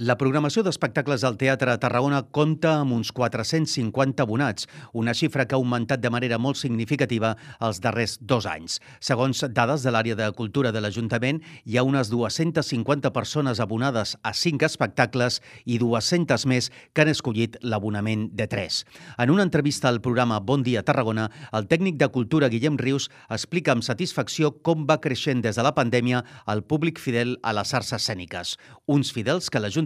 La programació d'espectacles al Teatre a Tarragona compta amb uns 450 abonats, una xifra que ha augmentat de manera molt significativa els darrers 2 anys. Segons dades de l'àrea de cultura de l'Ajuntament, hi ha unes 250 persones abonades a 5 espectacles i 200 més que han escollit l'abonament de 3. En una entrevista al programa Bon Dia Tarragona, el tècnic de cultura Guillem Rius explica amb satisfacció com va creixent des de la pandèmia el públic fidel a les arts escèniques. Uns fidels que l'Ajuntament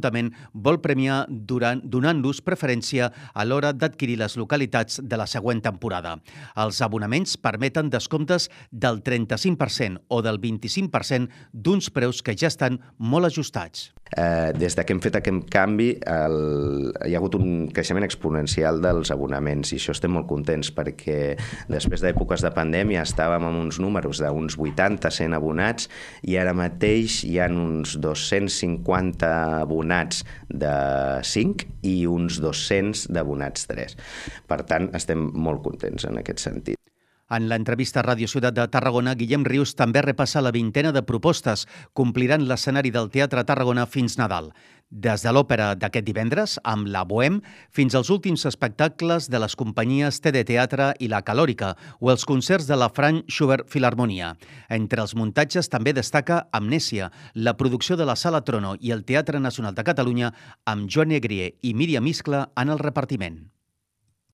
vol premiar donant-los preferència a l'hora d'adquirir les localitats de la següent temporada. Els abonaments permeten descomptes del 35% o del 25% d'uns preus que ja estan molt ajustats. Des que hem fet aquest canvi hi ha hagut un creixement exponencial dels abonaments i això estem molt contents perquè després d'èpoques de pandèmia estàvem amb uns números d'uns 80-100 abonats i ara mateix hi ha uns 250 abonats de 5 i uns 200 d'abonats 3. Per tant, estem molt contents en aquest sentit. En l'entrevista a Ràdio Ciutat de Tarragona, Guillem Rius també repassa la vintena de propostes que ompliran l'escenari del Teatre Tarragona fins Nadal. Des de l'òpera d'aquest divendres, amb la Bohème, fins als últims espectacles de les companyies TD Teatre i la Calòrica o els concerts de la Franz Schubert Filharmonia. Entre els muntatges també destaca Amnèsia, la producció de la Sala Trono i el Teatre Nacional de Catalunya amb Joan Negrier i Míriam Iscla en el repartiment.